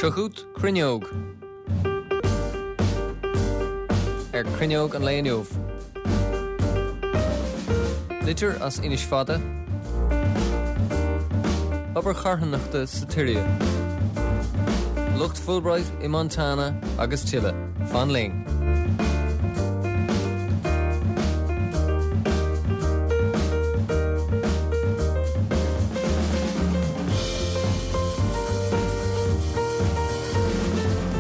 Seo chugat Cruinneog. Ar Cruinneog an lae inniu. Litir as Inis Fada. Obair charthanachta sa tSiria. Lucht Fulbright i Montana agus tuilleadh. Fan linn.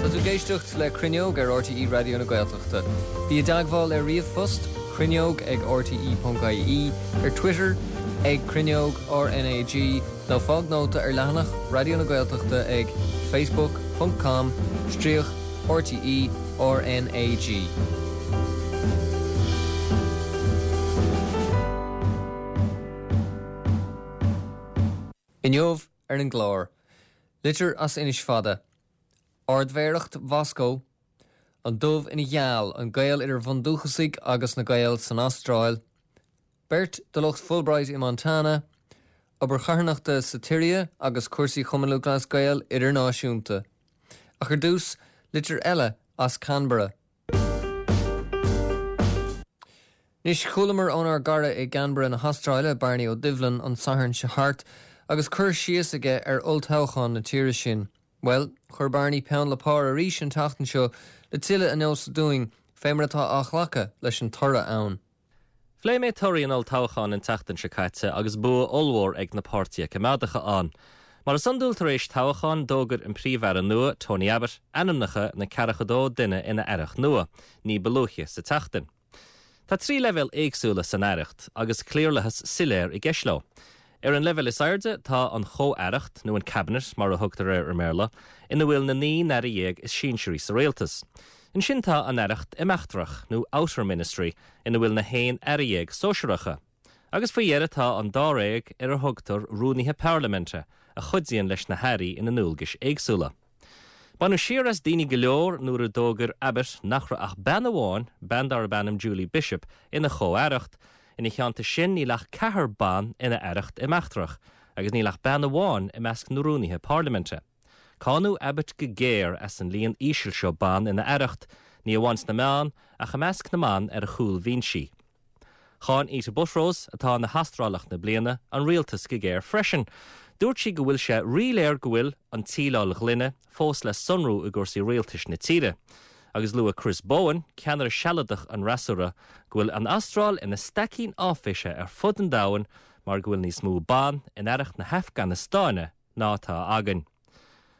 Tá tú ag éisteacht le Cruinneog ar RTÉ Raidió na Gaeltachta. Bí i dteagmháil ar ríomhphost, cruinneog ag rte.ie, ar Twitter ag Cruinneog RnaG nó fág nóta ar leathanach Raidió na Gaeltachta ag facebook ponc com stríoc RTÉ RnaG. Inniu ar an gclár, litir as Inis Fada, Ardmhéaracht Mhoscó, an dubh ina gheal, an gaol idir bhundúchasaigh agus na Gaeil san Astráil, beirt de lucht Fulbright i Montana, obair charthanachta sa tSiria agus cúrsaí Chumann Lúthchleas Gael idirnáisiúnta. Ach ar dtús, litir eile as Canberra. Anois, chualamar ónár gcara i gCanberra na hAstráile, Bearnaí Ó Doibhlin, an Satharn seo thart, agus cur síos aige ar olltoghchán na tíre sin. Bhuel, chuir Bearnaí peann le pár arís an tseachtain seo le tuilleadh a neosadh dúinn fé mar atá á ghlacadh leis an toradh ann. Phléigh mé torthaí an olltoghcháin an tseachtain seo caite agus bua ollmhór ag na Páirtithe Coimeádacha ann. Mar is iondúil tar éis toghcháin, d'fhógair an Príomh-Aire nua, Tony Abbott, ainmneacha na 42 duine ina aireacht nua, ní ba luaithe sa tseachtain. Tá 3 leibhéal éagsúla san aireacht agus cliarlathas soiléir i gceist leo. Ar an leibhéal is airde tá an Chomh-Aireacht, nó an Cabinet mar a thugtar air i mBéarla, ina bhfuil na 19 n-aire is sinsearaí sa rialtas. Ansin tá an Aireacht Imeachtrach, nó Outer Ministry, ina bhfuil na 11 aire sóisearacha. Agus faoi dheireadh tá an dáréag ar a thugtar Rúnaithe Parlaiminte, a chuidíonn leis na hairí ina ndualgais éagsúla. Baineadh siar as daoine go leor nuair a d'fhógair Abbott nach raibh ach bean amháin, bean darb ainm Julie Bishop, ina chomh-aireacht. Ina theannta sin níl ach ceathrar ban ina aireacht imeachtrach agus níl ach bean amháin i measc na rúnaithe parlaiminte. Cáineadh Abbott go géar as an líon íseal seo ban ina aireacht, ní amháin sna meáin ach i measc na mban ar a chúlbhinsí. Cháin Ita Buttrose, atá ina hAstrálach na Bliana, an rialtas go géar freisin. Dúirt sí go bhfuil sé ríléir go bhfuil an tsíleáil ghloine fós le sonrú i gcúrsaí rialtais na tíre. Agus luaigh Chris Bowen, ceannaire sealadach an fhreasúra, go bhfuil an Astráil ina staicín áiféise ar fud an domhain mar go bhfuil níos mó ban in aireacht na hAfganastáine ná atá againn.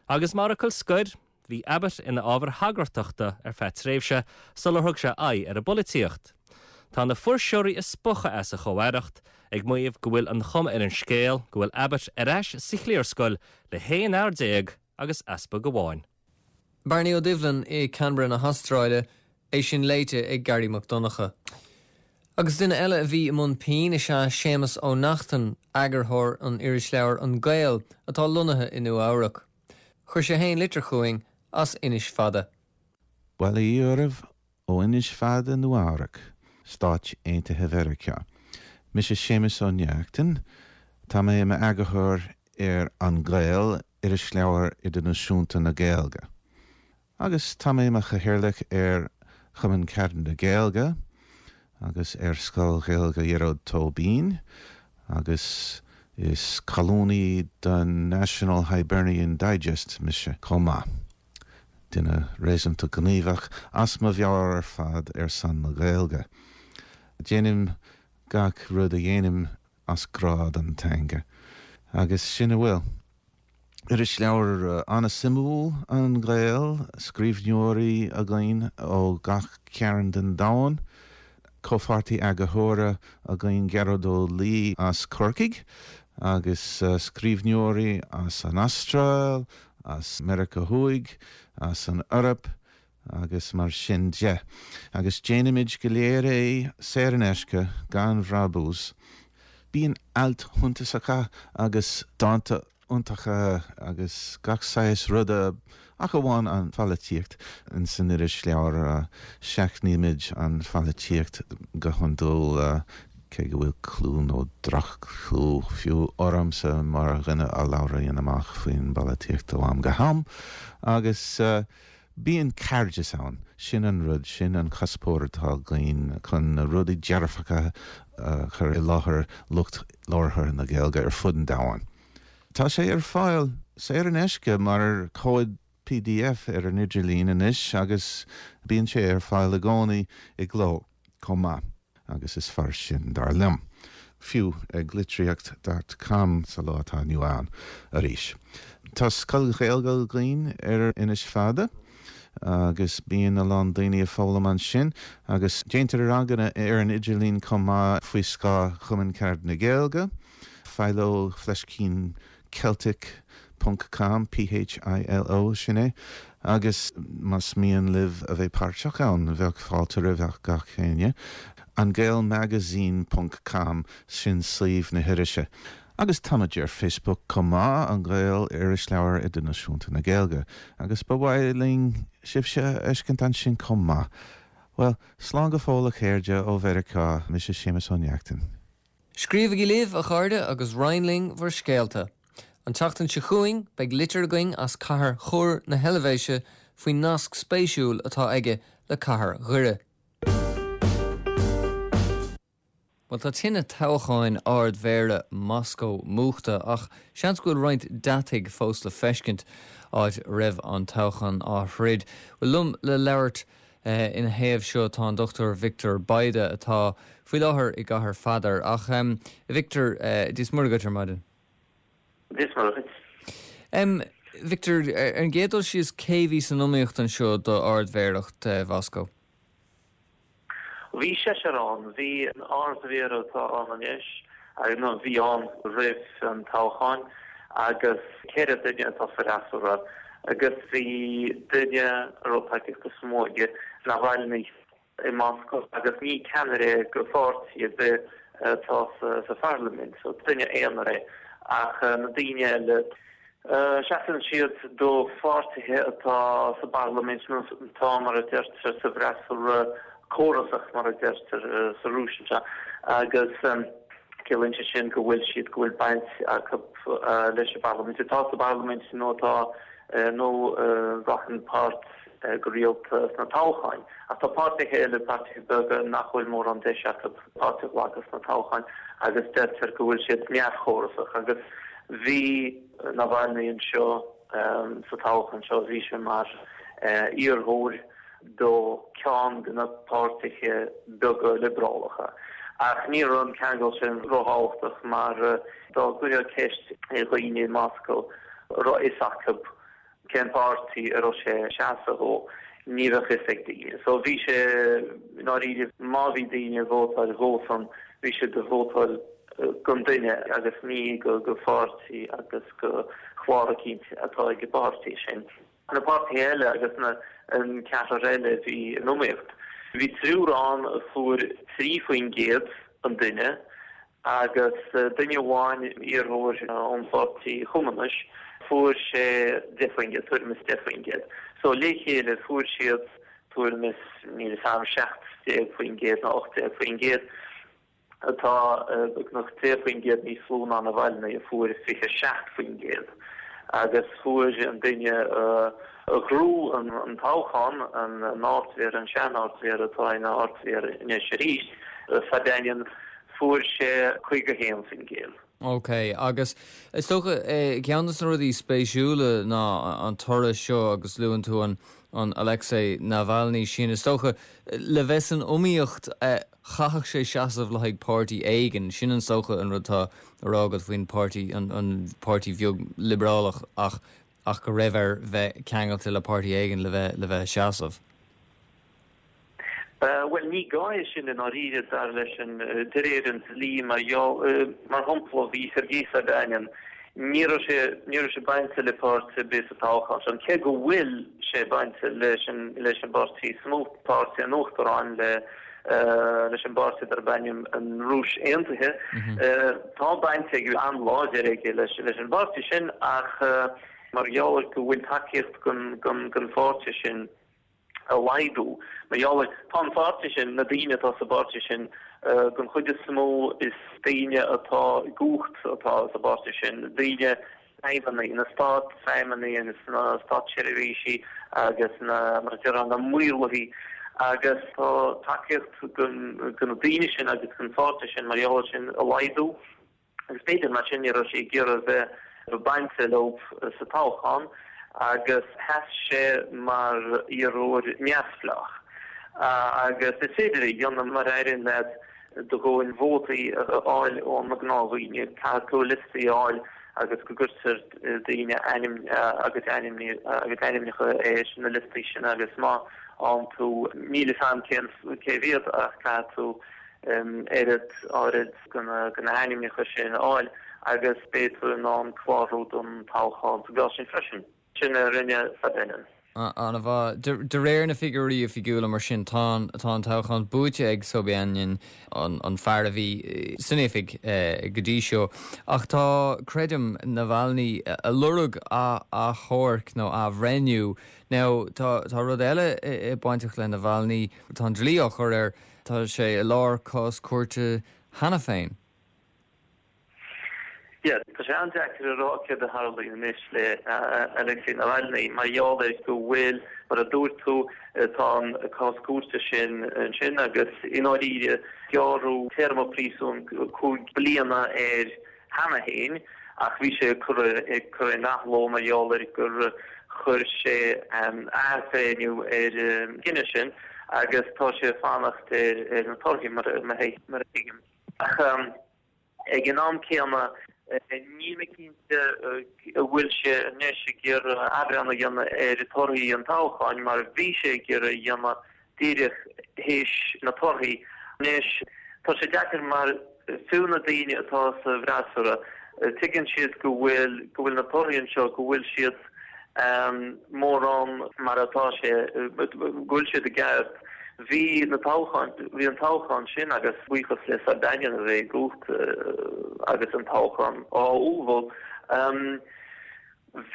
Agus mar fhocal scoir, Bhí Abbott ina ábhar hagartachta ar feadh tréimhse sular thug sé aghaidh ar an bpolaitíocht. Tá na fuirseoirí ag spochadh as a chomh-aireacht, ag maíomh go bhfuil an chuma ar an scéal go bhfuil Abbott ar ais sa chliarscoil le haon fhear agus easpag amháin. Bearnaí Ó Doibhlin i Canberra na hAstráile, é sin léite ag Garry Mac Donncha. Agus duine eile a bhí i mbun pinn is ea Séamus Ó Neachtain, eagarthóir an irisleabhair An Gael, atá lonnaithe i Nua Eabhrac. Chuir sé fhéin litir chugainn as Inis Fada. Bail ó Dhia oraibh ó Inis Fada, Nua Eabhrac, Stáit Aontaithe Mheiriceá. Mise Séamus Ó Neachtain. Tá mé i m'eagarthóir ar An Gael, irisleabhar idirnáisiúnta na Gaeilge. Agus tá mé i mo chathaoirleach ar Chumann Cearda na Gaeilge agus ar Scoil Ghaeilge Ghearóid Tóibín agus is colúnaí don National Hibernian Digest mise chomh maith. Duine réasúnta gníomhach as mo mheabhair ar fad ar son na Gaeilge. Déanaim gach rud a dhéanaim as grá don teanga. Agus sin a bhfuil. Irisleabhar an-suimiúil An Gael, scríbhneoirí againn ó gach cearn den domhan, comhpháirtí eagarthóra againn Gearóid Ó Laoi as Corcaigh agus scríbhneoirí as an Astráil, as Meiriceá Thuaidh, as an Eoraip agus mar sin de. Agus déanaimid go léir é saor in aisce, gan bhrabús. Bíonn ailt shuntasacha agus dánta iontacha agus gach saghas ruda, ach amháin an pholaitíocht, ins an irisleabhar. Seachnaímid an pholaitíocht go hiondúil. Cé go bhfuil clú, nó droch-chlú fiú, ormsa mar dhuine a labhraíonn amach faoin bpolaitíocht ó am go ham, agus bíonn cairdeas ann, sin an rud, sin an cuspóir atá againn, chun na rudaí dearfacha a chur i láthair lucht labhartha na Gaeilge ar fud an domhain. Tá sé ar fáil saor in aisce mar chomhad pdf ar an idirlíon anois agus bíonn sé ar fáil i gcónaí i gcló chomh maith. Agus is fearr sin, dar liom. Fiú ag litríocht dot com sa lá atá inniu ann arís. Tá scoil Ghaeilge againn ar Inis Fada agus bíonn a lán daoine ag foghlaim ansin agus déantar ranganna ar an idirlíon chomh maith faoi scáth Chumann Carad na Gaeilge, Philo Fleiscín Celtic ponc com, P-h-i-l-o, sin é. Agus más mian libh a bheith páirteach ann, bheadh fáilte roimh gach éinne. An Gael Magazine ponc com, sin suíomh na hirise. Agus táimid ar Facebook chomh maith, An Gael, Irisleabhar Idirnáisiúnta na Gaeilge. Agus ba mhaith linn sibhse a fheiscint ansin chomh maith. Bhuel, slán go fóill a chairde ó Mheiriceá, mise Séamus Ó Neachtain. Scríobhaigí libh, a chairde, agus roinn linn bhur scéalta. An tseachtain seo chugainn, beidh litir againn as cathair Chur na hEilvéise faoin nasc spéisiúil atá aige le cathair Dhoire. Bhuel, tá tine toghcháin Ard-Mhéara Moscó múchta, ach seans go bhfuil roinnt deataigh fós le feiscint áit a raibh an toghchán á throid. Bhuel, liom le labhairt Ina thaobh seo tá an Dr Victor Bayda atá faoi láthair i gCathair Pheadair. Ach a Victor, Dia is Muire dhuit ar maidin. Dia is Muire dhuit. Victor, ar an gcéad dul síos, cé bhí san iomaíocht anseo do Ard-Mhéaracht Mhoscó? Bhí seisear ann. Bhí an Ard-Mhéara atá ann anois, nó a bhí ann roimh an toghchán, agus 4 duine atá sa fhreasúra. Agus bhí duine a raibh tacaíocht is mó aige, Navalny, i Moscó agus ní ceannaire go pháirtí ar bith atá sa pharlaimint, so duine aonair é. Ach na daoine eile, seasann siad do pháirtithe atá sa bparlaimint nó atá, mar a deirtear, sa bhfreasúra córasach, mar a deirtear sa Rúis anseo. Agus. Ciallaíonn sé sin go bhfuil siad, go bhfuil baint acu leis an bparlaimint, atá sa bparlaimint nó atá, nó a ghlacann páirt go rialta sna toghcháin. Ach tá páirtithe eile, páirtithe beaga nach bhfuil mórán deis acu páirt a ghlacadh sna toghcháin agus deirtear go bhfuil siad neamhchórasach. Agus bhí Navalny anseo sa toghchán seo, bhí sé mar iarrthóir. do ceann de na páirtithe beaga liobrálacha. Ach ní raibh an ceangal sin róthábhachtach mar dá gcuirfeá ceist ar dhaoine i Moscó an raibh fhios acu cén páirtí a raibh sé ag seasamh dhó, ní bheadh fhios ag daoine. So bhí sé i ndáiríre, má bhí daoine ag vótáil dhósan, bhí siad ag vótáil don duine agus ní go pháirtí agus go chlár eicínt atá ag an bpáirtí sin. Na páirtithe eile agus na an ceathrar eile a bhí in iomaíocht. Bhí triúr ann a fuair 3% an duine agus duine amháin, iarrthóir ón Pháirtí Chumannais, fuair sé 10%, tuairim is 10%. So le chéile fuair siad tuairim is, níl 'fhios a'm, 17% nó 18%. atá beagnach 10% níos lú ná Navalny a fuair 27%, agus fuair an duine a ghnóthaigh an toghchán, an Ardmhéara, an sean-Ardmhéara atá ina Ardmhéara anois arís, Sobyanin, fuair sé 51%. Ok, agus is dócha, ceann de na rudaí spéisiúla ná an toradh seo agus luann tú an an Alexei Navalny sin, is dócha, le bheith san iomaíocht, chaithfeadh sé seasamh le haghaidh páirtí éigin, sin is dócha an rud atá á rá agat faoin páirtí, an páirtí bheag liobrálach ach ach go raibh air bheith ceangailte le páirtí éigin le bheith le bheith ag seasamh. Bhuel, ní gá é sin i ndáiríre, dar leis an, de réir an dlí, mar gheall, mar shampla, bhí Sergei Sobyanin, ní raibh sé, ní raibh sé bainte le páirtí ar bith sa toghchán seo, cé go bhfuil sé bainte leis an, leis an bpáirtí is mó, páirtí an Uachtaráin, le, leis an bpáirtí darb ainm an Rúis Aontaithe. Tá baint aige, an-láidir aige leis, leis an bpáirtí sin ach mar gheall ar go bhfuil tacaíocht don, don, don pháirtí sin, a laghdú. Mar gheall ar, tá an pháirtí sin, na daoine atá sa bpáirtí sin. Den chuid is mó is daoine atá i gcumhacht atá sa bpáirtí sin, daoine, feidhmeannaigh, na stát-fheidhmeannaigh agus na státseirbhísigh agus na, mar a déarfá, na maorlathaigh agus tá tacaíocht do na daoine sin agus don pháirtí sin mar gheall air sin ag laghdú agus b'fhéidir mar sin ní raibh sé ag iarraidh bheith bainte leo sa toghchán agus sheas sé mar iarrthóir neamhspleách agus is féidir é a dhéanamh mar a éiríonn leat do dhóthain vótaí a fháil ó na gnáthdhaoine, caithfidh tú liostaí a fháil agus go gcuirtear daoine ainm agus ainmneacha ar na liostaí sin agus má fhaigheann tú, níl fhios a'm cén cé mhéad ach caithfidh tú oiread áirid de na hainmneacha sin a fháil agus beidh tú in ann clárú don toghchán sa gcás sin freisin. Sin a rinne Sobyanin. An-mhaith. De réir na figiúirí oifigiúla, mar sin, tá an toghchán buaite ag Sobyanin, an fear a bhí san oifig go dtí seo. Ach tá, creidim, Navalny ag lorg achomharc nó athbhreithniú. Now, tá rud eile bainteach le Navalny, tá an dlí á chur air, tá sé i lár cás cúirte cheana féin. Yeah, tá sé an-deacair a rá céard a tharlaíonn anois le Alexei Navalny mar gheall ar go bhfuil, mar a dúirt tú, tá an cás cúirte sin ansin agus i ndáiríre gearradh téarma príosúin 5 bliana air cheana féin ach bhí sé curtha in athló mar gheall ar gur chuir sé athbhreithniú ar an gcinneadh sin agus tá sé ag fanacht ar na torthaí mar a thuigim. Ach ag an am céanna, níl mé cinnte an bhfuil sé anois ag iarraidh athbhreithniú a dhéanamh ar thorthaí an toghcháin mar bhí sé ag iarraidh a dhéanamh díreach théis na torthaí. Anois, tá sé deacair mar fiú na daoine atá sa bhfreasúra, tuigeann siad go bhfuil go bhfuil na torthaí anseo, go bhfuil siad mórán mar atá sé, go bhfuil siad i gceart. Bhí na toghcháin, bhí an toghchán sin agus buíochas le Sobyanin a bheith i gcumhacht agus an toghchán á ullmhú,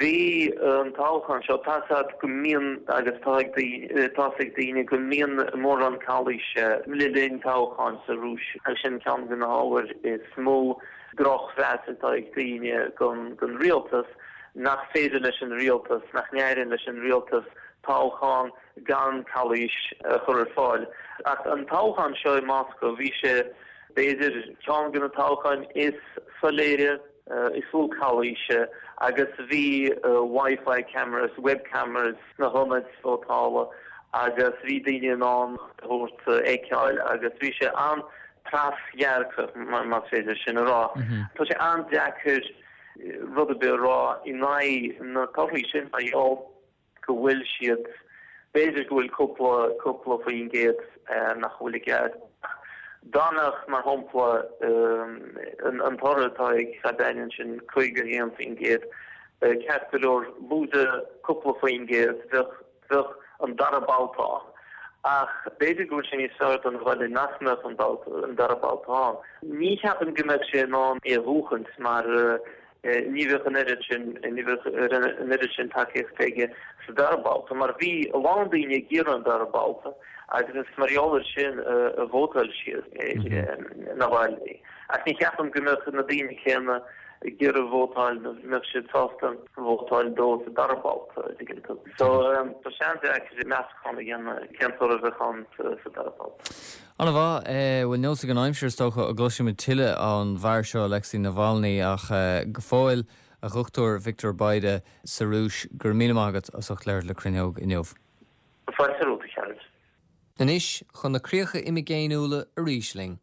bhí an toghchán seo, tá 's a'd go mbíonn agus tá ag daoine, tá 's ag daoine go mbíonn mórán calaoise le linn toghcháin sa Rúis agus sin ceann de na hábhair is mó drochmheas atá ag daoine don rialtas. nach féidir leis an rialtas, nach n-éiríonn leis an rialtas toghchán gan calaois a chur ar fáil. Ach an toghchán seo i Moscó, bhí sé, b'fhéidir, ceann de na toghcháin is soiléire, is lú calaoise agus bhí Wi-Fi cameras, web cameras sna hionaid vótála agus bhí daoine in ann a thabhairt a fheiceáil agus bhí sé an-trédhearcach, más féidir sin a rá. Tá sé an-deacair rud ar bith a rá in aghaidh na torthaí sin mar gheall go bhfuil siad, b'fhéidir go bhfuil cúpla, cúpla faoin gcéad nach bhfuil i gceart. Dá mbeadh, mar shampla, an toradh atá ag Sobyanin sin 51%, ceart go leor, lúide cúpla faoin gcéad, bheadh, bheadh an dara babhta ann. Ach b'fhéidir go bhfuil sé níos fearr do Navalny nach mbeadh an babhta, an dara babhta ann. Ní cheapaim go mbeadh sé in ann é a bhuachaint mar ní bheadh an oiread sin, ní bheadh an oiread sin tacaíochta aige sa dara babhta mar bhí a lán daoine ag iarraidh an dara babhta agus is mar gheall air sin a vótáil siad ar Navalny. Ach ní cheapaim go mbeadh na daoine céanna ag iarraidh vótáil, go mbeadh siad sásta vótáil dó sa dara babhta, an dtuigeann tú. So, tá sé an-deacair meastachán a dhéanamh cén toradh a bheadh ann sa dara babhta. An-mhaith. Bhuel, neosfaidh an aimsir, is dócha, an gcloisfimid tuilleadh ón bhfear seo, Alexei Navalny, ach go fóill, a Dhochtúir Victor Bayda sa Rúis, go raibh míle maith agat as ucht labhairt le Cruinneog inniu. Fáilte romhat, a chara. Anois, chun na críocha imigéiniúla arís linn.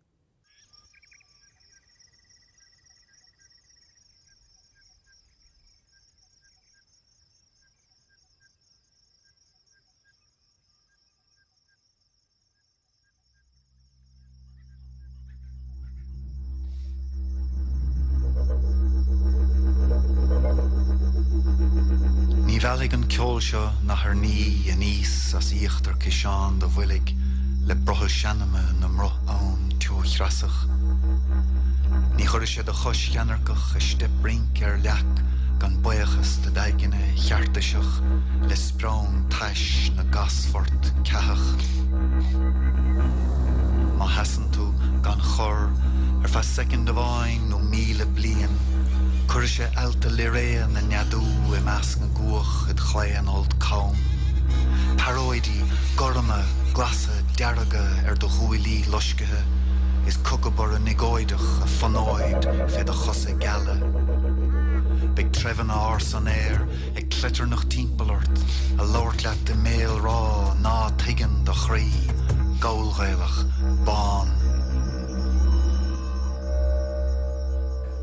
Ní mheallfaidh an ceol seo nathair ní aníos as íochtar ciseán do bhoilg le brothall seanama na mbruth ann teochreasach. Ní chuirfidh sé do chois cheannairceach i steip rince ar leac gan baochas do d'aigne cheartaiseach le spreon tais na gcasphort ceathach. Má sheasann tú. gan chor, ar feadh soicind amháin nó 1,000 bliain, cuirfidh sé ealta Lyrae 'na neadú i measc na gcuach id chlaon fholt cam. Pearóidí gorma, glasa, dearga ar do ghuaillí loiscthe, is cucabarra niogóideach a fonóid fé do chosa geala. Beidh treibheanna ársa an aeir ag cleitearnach timpeall ort, a labhairt leat i mbéalrá ná tuigeann do chroí, Gallghaelach, bán.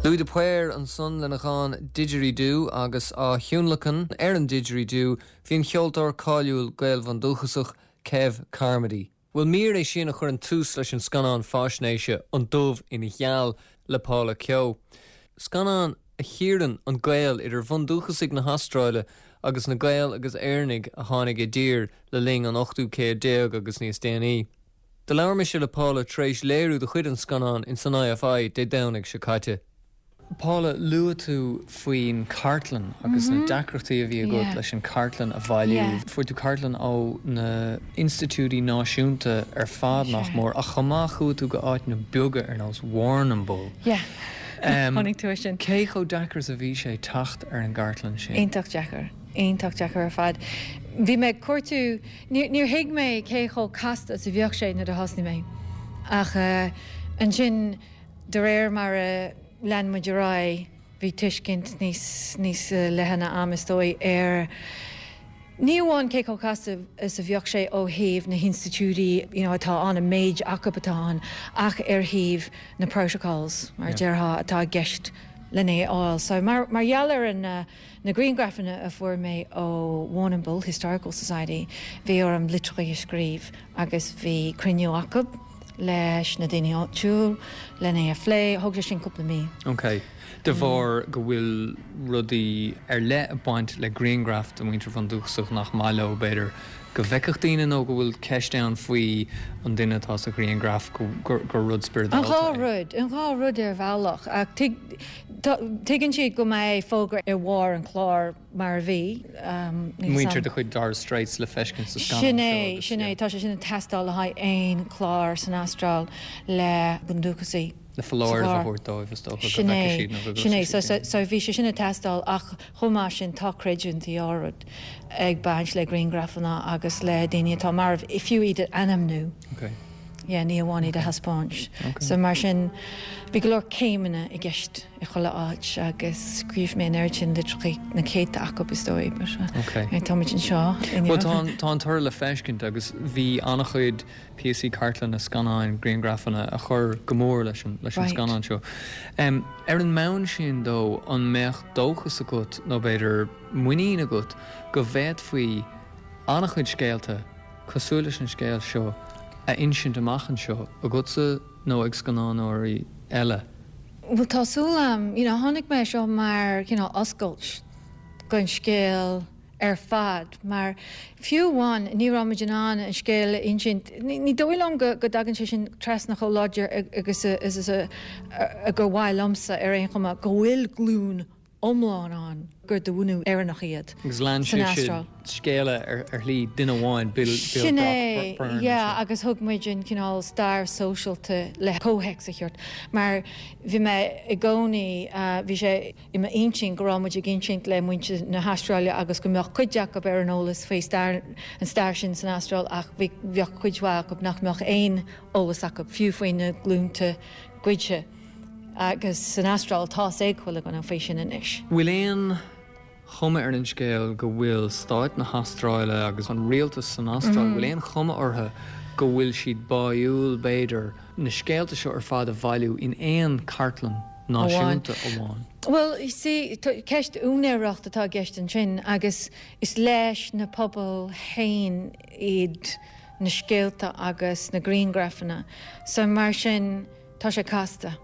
Louis de Paor ansan lena dhán 'Didgeridoo' agus á thionlacan ar an didgeridoo bhí an cheoltóir cáiliúil Gael-bhundúchasach Kev Carmody. Bhuel mír é sin a chuireann tús leis an scannán faisnéise An Dubh ina Gheal le Paula Keogh. Scannán a chíorann an gaol idir bhundúchasaigh na hAstráile agus na Gaeil agus Éireannaigh a tháinig i dtír le linn an ochtú céad déag agus níos déanaí. Do labhair mise le Paula tar éis léiriú de chuid an scannáin in san IFI Dé Domhnaigh seo caite. Paula, luaigh tú faoin cartlann agus na deacrachtaí a bhí agat leis an cartlann a bhailiú. Fuair tú cartlann ó na institiúidí náisiúnta ar fad nach mór, ach chomh maith chuaigh tú go áiteanna beaga ar nós Warrnambool. Chonaic tú é sin. Cé chomh deacair is a bhí sé teacht ar an gcartlann sin? Iontach deacair. Iontach deacair ar fad. Bhí mé ag cuartú, níor thuig mé cé chomh casta is a bheadh sé nuair a thosnaigh mé. Ach ansin, De réir mar a lean muid ar aghaidh, bhí tuiscint níos níos leithne a'm, is dóigh, ar ní amháin cé chomh casta is a bheadh sé ó thaobh na hinstitiúidí you know atá ann, an méid acu atá ann, ach ar thaobh na protocols, mar a déarfá, atá i gceist len é a fháil. So mar mar gheall ar an na grianghrafanna a fuair mé ó Warrnambool Historical Society, bhí orm litreacha a scríobh agus bhí cruinniú acu leis na daoine áitiúil len é a phlé. Thóg sé sin cúpla mí. Ok. De bharr go bhfuil rudaí ar leith ag baint le grianghraif de mhuintir bhundúchasach nach maith leo, b'fhéidir, go bhfeicfeadh daoine nó go bhfuil ceist ann faoi an duine atá sa ghrianghraf, gur rud spioradálta é. An dhá rud. An dhá rud ar bhealach. Ach tuigeann siad go mbeidh fógra ar bharr an chláir mar a bhí. Muintir de chuid Torres Straits le feiscint sa scannán seo. Sin é, sin é. Tá sé sin ag teastáil le haghaidh aon chlár san Astráil le bundúchasaigh. Le foláireamh a thabhairt dóibh, is dócha, go bhfeicfidh siad nó go gcloisfidh siad. Sin é. So bhí sé sin ag teastáil ach chomh maith sin tá creidiúintí áirid ag baint le grianghrafanna agus le daoine atá marbh, fiú iad a ainmniú. Ok. Yeah, ní amháin iad a thaispeáint. Ok. So mar sin bhí go leor céimeanna i gceist i chuile áit agus scríobh mé an oiread sin litreacha, na céadta acu is dóigh, but Ok. táimid anseo inniu. Bhuel tá an, tá an toradh le feiscint agus bhí an-chuid píosaí cartlainne, scannáin, grianghrafanna a chuir go mór leis an leis an scannán seo. Ar an mbonn sin dó, an mbeadh dóchas agat, nó b'fhéidir muinín agat, go bhféadfaí an-chuid scéalta cosúil leis an scéal seo a insint amach anseo, agatsa nó ag scannánóirí eile? Bhuel, tá súil a'm. You know, chonaic mé seo mar cineál oscailt don scéal. ar fad, mar fiú amháin ní raibh muid in ann an scéal a insint. Ní dóigh liom go dtagann sé sin trasna chomh láidir agus is a gur mhaith liomsa ar aon chuma, go bhfuil glúin iomlán ann gur de bhunú Éireannach iad Agus lean san Astráil. scéala ar shlí duine amháin, Bill Sin é, Brock Byrne. yeah, agus thug muid an cineál stair sóisialta le comhthéacs a thabhairt, mar bhí mé i gcónaí, bhí sé. i m'intinn go raibh muid ag insint le muintir na hAstráile agus go mbeadh cuid acu ar an eolas faoi stair, an stair sin san Astráil ach bhí, bheadh cuid mhaith acu nach mbeadh aon eolas acu, fiú faoi na glúnta goidte. Agus san Astráil tá's ag chuile dhuine faoi sin anois. Bhfuil aon chuma ar an scéal go bhfuil stáit na hAstráile agus an rialtas san Astráil, bhfuil aon chuma orthu go bhfuil siad báúil, b'fhéidir, na scéalta seo ar fad a bhailiú in aon chartlann náisiúnta amháin? Bhuel, you see, ceist úinéireacht atá i gceist ansin agus is leis na pobail féin iad na scéalta agus na grianghrafanna so mar sin tá sé casta.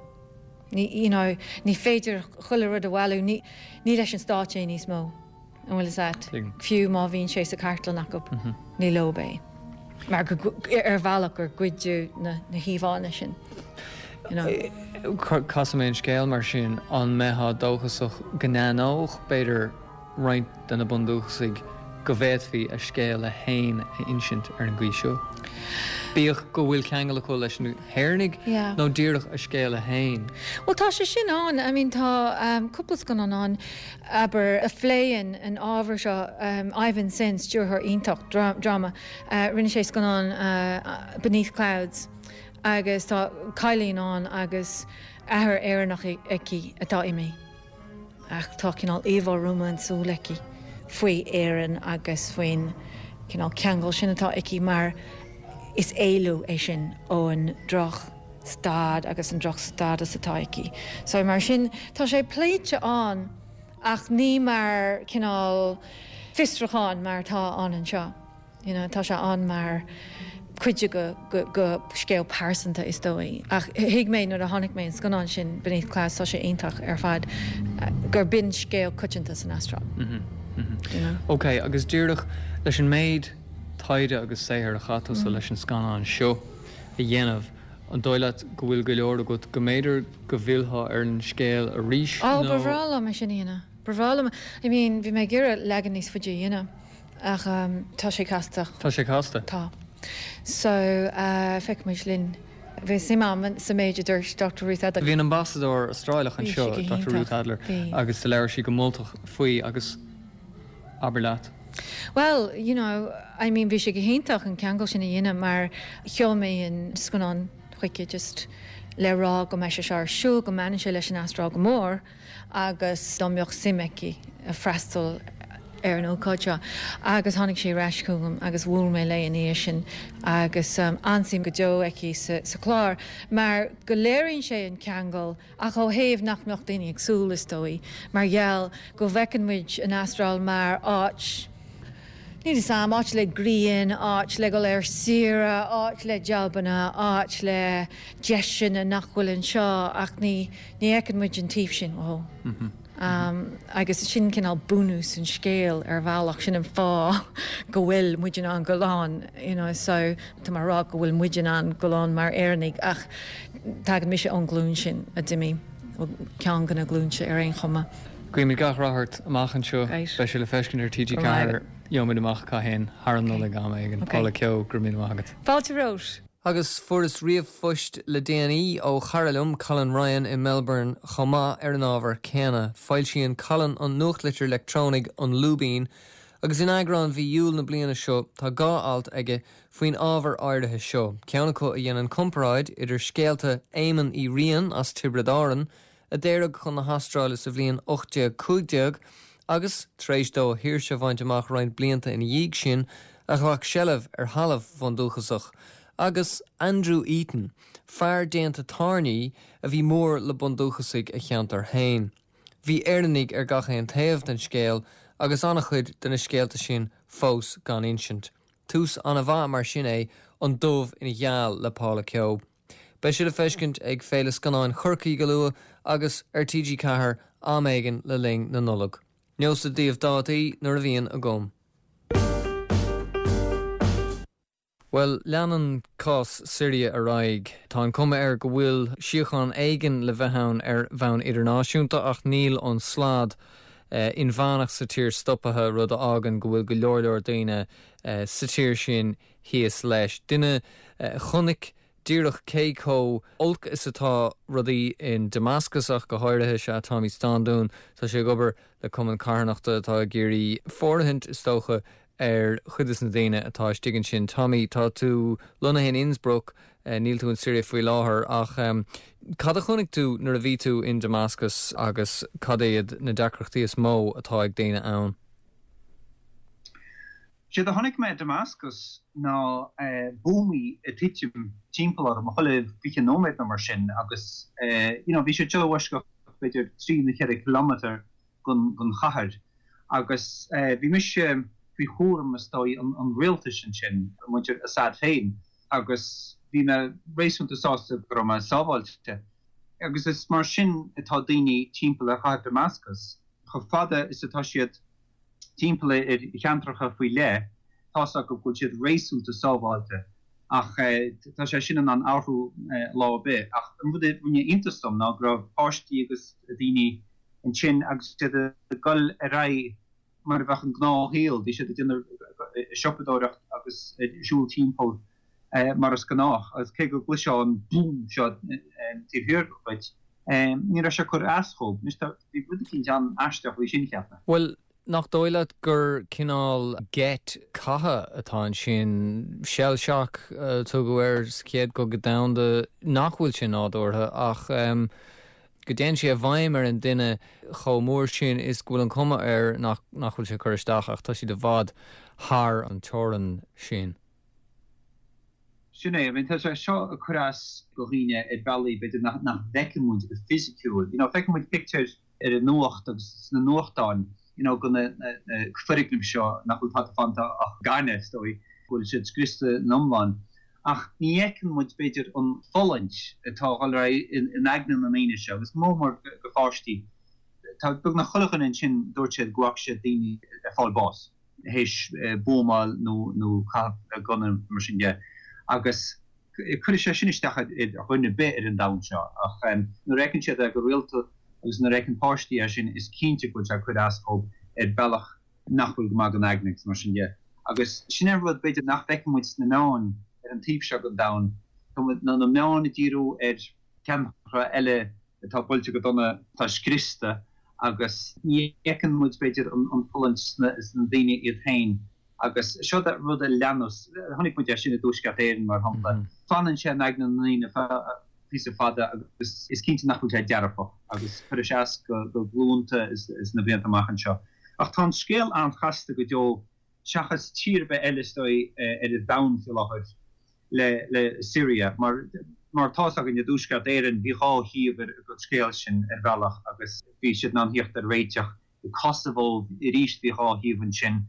Ní, you know, ní féidir chuile rud a bhailiú, ní, ní leis an stát é níos mó. An bhfuil fhios a't? Fiú má bhíonn sé sa chartlann acu, ní leo é. Mar go, ar bhealach gur goideadh na híomhánna sin, you know. Casfaidh mé an scéal mar sin, an mbeifeá dóchasach go n-aithneodh, b'fhéidir, roinnt de na bundúchasaigh. go bhféadfaí a scéala fhéin a insint ar an gcaoi seo. Bíodh go bhfuil ceangal acu leis na hÉireannaigh nó díreach a scéala fhéin. Bhuel tá sé sin ann, I mean tá cúpla scannán ann, abair, a phléann an ábhar seo, Ivan Sen, stiúrthóir iontach dráma, rinne sé scannán Beneath Clouds agus tá cailín ann agus athair Éireannach aici atá imithe. Ach tá cineál íomhá rómánsúil aici faoi Éirinn agus faoin cineál ceangal sin atá aici mar is éalú é sin ón droch staid agus an droch stádas atá aici. So mar sin tá sé pléite ann ach ní mar cineál fiosrúchán mar atá ann anseo. You know, tá sé ann mar cuid de go scéal pearsanta is dóigh. Ach thuig mé nuair a chonaic mé an scannán sin, Beneath Clouds, tá sé iontach ar fad, gur b'in scéal coitianta san Astráil. You know. Ok, agus díreach leis an méid taighde agus saothair a chaith tusa leis an scannán seo a dhéanamh, an dóigh leat go bhfuil go leor agat go mb'fhéidir go bhfillfeá ar an scéal arís nó? Ó, ba bhreá liom é sin a dhéanamh. Ba bhreá liom, I mean, bhí mé ag iarraidh leagan níos faide a dhéanamh. Ach tá sé casta. Tá sé casta. Tá. So, feicfimid linn. Bhí suim agam sa méid a dúirt Dr Ruth Adler. Bhí an Ambasadóir Astráileach anseo, Dr Ruth Adler, agus do labhair sí go moltach faoi agus abair leat. Well, you know, I mean bhí sé go hiontach an ceangal sin a dhéanamh mar sheol mé an scannán chuici just le rá go mbeidh sé seo ar siúl, go mbaineann sé leis an Astráil go mór. agus dá mbeadh suim aici freastal ar an ócáid seo agus tháinig sí ar ais chugam agus bhuail mé léi ina dhiaidh sin agus an-suim go deo aici sa chlár mar go léiríonn sé an ceangal ach ó thaobh nach mbeadh daoine ag súil is dóigh mar gheall go bhfeiceann muid an Astráil mar áit Níl fhios a'm, áit le grian, áit le dhul ar saoire, áit le jabanna, áit le deiseanna nach bhfuil anseo ach ní, ní fheiceann muid an taobh sin, ó. Agus sin cineál bunús an scéil ar bhealach, sin an fáth go bhfuil muid in ann dul ann, you know, so tá mé a rá go bhfuil muid in ann dul ann mar Éireannaigh ach tagann mise ón ghlúin sin a d'imigh, ceann de na glúinte ar aon chuma. Guímid gach rath ort amach anseo. Beidh sé le feiscint ar TG4, gheobhaimid amach cathain, thar an Nollaig am éigin. Paula Keogh, go raibh míle maith agat. Fáilte romhat. Agus fuaireas ríomhphost le déanaí ó chara liom, Colin Ryan i Melbourne chomh maith ar an ábhar céanna. Foilsíonn Colin an nuachtlitir leictreonaigh An Lúibín agus in eagrán mhí Iúil na bliana seo tá 2 alt aige faoin ábhar áirithe seo, ceann acu a dhéanann comparáid idir scéalta Éamoin Uí Riain as Tiobraid Árann a d'éirigh chun na hAstráile sa bhliain 1815 agus, tar éis dó a shaoirse a bhaint amach roinnt blianta ina dhiaidh sin, a ghlac seilbh ar thalamh bhundúchasach, agus Andrew Eaton, fear déanta tairní a bhí mór le bundúchasaigh a cheantair féin. Bhí Éireannaigh ar gach aon taobh den scéal agus an-chuid de na scéalta sin fós gan insint. Tús an-mhaith mar sin é An Dubh ina Gheal le Paula Keogh. Beidh sé le feiscint ag Féile Scannáin Chorcaí go luath agus ar TG4 am éigin le linn na Nollag. Neosad daoibh dátaí nuair a bhíonn agam. Bhuel, leanann cás Siria ar aghaidh. Tá an cuma air go bhfuil síocháin éigin le bheith ann ar bhonn idirnáisiúnta ach níl an slad inmheánach sa tír stoptha, rud a fhágann go bhfuil go leor leor daoine sa tír sin thíos leis. Duine a chonaic díreach cé chomh olc is atá rudaí in Damascus ach go háirithe is ea Tommy Standún. Tá sé ag obair le cumann carthanachta atá ag iarraidh fóirithint, is dócha, ar chuid des na daoine atá istigh ansin. Tommy, tá tú lonnaithe in Innsbruck, níl tú in Siria faoi láthair, ach cad a chonaic tú nuair a bhí tú in Damascus agus cad iad na deacrachtaí is mó atá ag daoine ann? Séard a chonaic mé i Damascus ná buamaí ag titim timpeall orm chuile 20 nóiméad nó mar sin agus you know bhí siad seo i bhfoisceacht b'fhéidir trí nó cheithre kilometre den chathair agus bhí mise faoi chúram is dóigh an rialtais ansin, muintir Assad féin agus bhí mé réasúnta sásta go raibh mé sábháilte. Agus is mar sin atá daoine timpeall ar chathair Damascus, chomh fada is atá siad timpeall ar cheantracha faoi leith, tá's acu go bhfuil siad réasúnta sábháilte ach tá sé sin in ann athrú lá ar bith. Ach an rud a rinne iontas dom ná go raibh páistí agus daoine ansin agus iad ag dul ar aghaidh. mar a bheadh an gnáthshaol, bhí siad ag déanamh siopadóireacht agus ag siúl timpeall mar is gnách agus cé go gcloisfeá an búm seo taobh thiar dhuit, ní raibh sé ag cur as dhóibh. Anois tá, bhí rud eicínt an-aisteach faoi sin, cheap mé. Bhuel, nach dóigh leat gur cineál geit catha atá ansin, shell shock a tugadh air sa Chéad Chogadh Domhanda, nach bhfuil sé nádúrtha ach go dtéann sé i bhfeidhm ar an duine chomh mór sin is go bhfuil an chuma air nach nach bhfuil sé ag cur isteach ach tá siad i bhfad thar an teorainn sin. Sin é, I mean tá sé seo ag cur as go dhaoine ar bhealaí b'fhéidir nach nach bhfeiceann muid go fisiciúil. You know feiceann muid pictiúir ar an nuacht agus sna nuachtáin you know go na na foirgnimh seo nach bhfuil tada fanta ach gaineamh is dóigh, go bhfuil siad scriosta in iomlán. Ach ní fheiceann muid b'fhéidir an fulaingt atá ag dul ar aghaidh in aigne na ndaoine seo agus mór mór go pháistí. Tá beagnach chuile dhuine ansin dúirt siad go bhfaca siad daoine ag fáil bás. théis buamáil nó nó caitheamh gunna mar sin de agus cuirfidh sé sin isteach ar dhuine ar bith ar an domhan seo ach nuair a fheiceann siad é go rialta agus nuair a fheiceann páistí é sin is cinnte go bhfuil sé ag cur as dhóibh ar bhealach nach bhfuil go maith don aigne agus mar sin de. Agus sin é an rud b'fhéidir nach bhfeiceann muid sna meáin ar an taobh seo den domhan, tá na meáin ag díriú ar cheantracha eile atá buailte go dona, atá scriosta agus ní fheiceann muid, b'fhéidir, an fulaingt sna daoine iad féin agus seo rud a leanas, chonaic muid é sin i dTuaisceart Éireann, mar shampla. Fanann sé in aigne na ndaoine píosa fada agus is cinnte nach bhfuil sé dearfach agus cuirfidh sé as go glúnta sna blianta amach anseo. Ach tá an scéal an-chasta go deo. seachas tír ar bith eile is dóigh ar an domhan faoi láthair le le Syria mar mar tá's againn i dTuaisceart Éireann bhí dhá thaobh ar an scéal sin ar bhealach agus bhí siad in ann theacht ar réiteach. I Kosovo arís bhí dhá thaobh ansin.